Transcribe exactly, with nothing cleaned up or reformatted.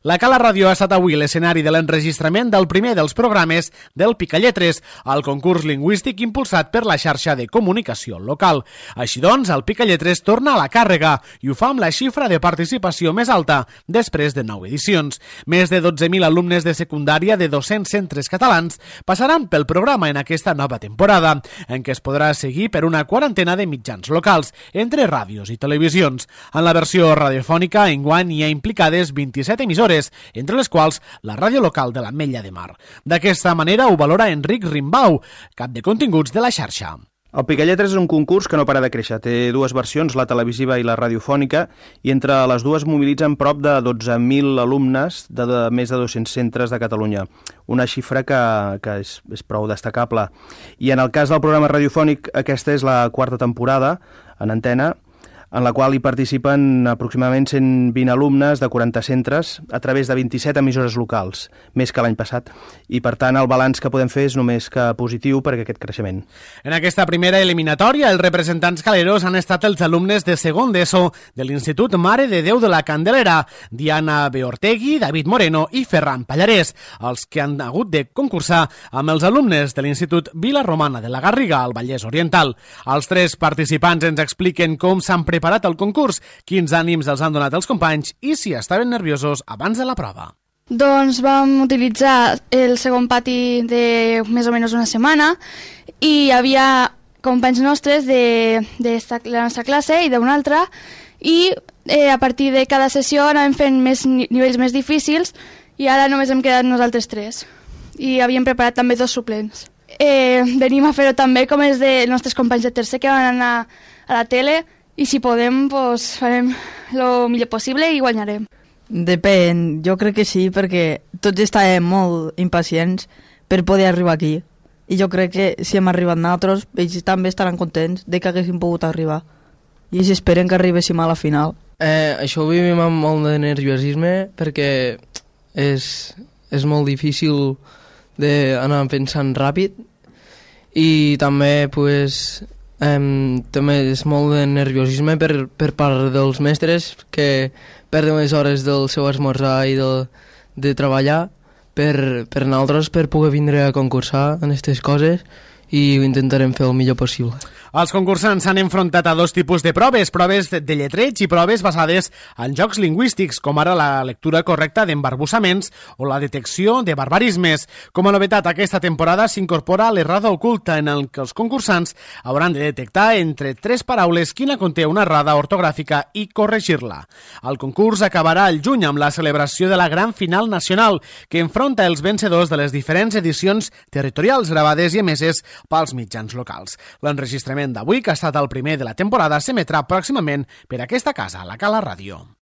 La Cala Ràdio ha estat avui l'escenari de l'enregistrament del primer dels programes del Picalletres, el concurs lingüístic impulsat per la xarxa de comunicació local. Així doncs, el Picalletres torna a la càrrega i ho fa amb la xifra de participació més alta després de nou edicions. Més de dotze mil alumnes de secundària de dos-cents centres catalans passaran pel programa en aquesta nova temporada, en què es podrà seguir per una quarantena de mitjans locals, entre ràdios i televisions. En la versió radiofònica, enguany hi ha implicades vint-i-set emissores, entre les quals la ràdio local de l'Ametlla de Mar. D'aquesta manera ho valora Enric Rimbau, cap de continguts de la xarxa. El Picalletres és un concurs que no para de créixer. Té dues versions, la televisiva i la radiofònica, i entre les dues mobilitzen prop de dotze mil alumnes de, de més de dos-cents centres de Catalunya. Una xifra que, que és, és prou destacable. I en el cas del programa radiofònic, aquesta és la quarta temporada en antena, en la qual hi participen aproximadament cent vint alumnes de quaranta centres a través de vint-i-set emissores locals, més que l'any passat. I, per tant, el balanç que podem fer és només que positiu per aquest creixement. En aquesta primera eliminatòria, els representants caleros han estat els alumnes de segon d'ESO de l'Institut Mare de Déu de la Candelera, Diana Beortegui, David Moreno i Ferran Pallarès, els que han hagut de concursar amb els alumnes de l'Institut Vila Romana de la Garriga, al Vallès Oriental. Els tres participants ens expliquen com s'han preparat preparat el concurs, quins ànims els han donat els companys i si estaven nerviosos abans de la prova. Doncs vam utilitzar el segon pati de més o menys una setmana i hi havia companys nostres de, de la nostra classe i d'una altra i eh, a partir de cada sessió anàvem fent més nivells més difícils i ara només hem quedat nosaltres tres i havíem preparat també dos suplents. Eh, venim a fer-ho també com els de nostres companys de tercer que van anar a la tele i si podem, doncs, farem el millor possible i guanyarem. Depèn, jo crec que sí, perquè tots estàvem molt impacients per poder arribar aquí. I jo crec que si hem arribat nosaltres, ells també estaran contents de que haguéssim pogut arribar. I ells esperen que arribéssim a la final. Eh, això ho vivim amb molt de nerviosisme, perquè és, és molt difícil d'anar pensant ràpid i també, pues, Um, també és molt de nerviosisme per, per part dels mestres que perden les hores del seu esmorzar i de, de treballar per, per nosaltres per poder vindre a concursar en aquestes coses i ho intentarem fer el millor possible. Els concursants s'han enfrontat a dos tipus de proves, proves de lletreig i proves basades en jocs lingüístics, com ara la lectura correcta d'embarbussaments o la detecció de barbarismes. Com a novetat, aquesta temporada s'incorpora l'errada oculta, en el que els concursants hauran de detectar entre tres paraules quina conté una errada ortogràfica i corregir-la. El concurs acabarà al juny amb la celebració de la gran final nacional, que enfronta els vencedors de les diferents edicions territorials gravades i emeses pels mitjans locals. L'enregistrament d'avui, que ha estat el primer de la temporada, s'emetrà pròximament per aquesta casa, la Cala Ràdio.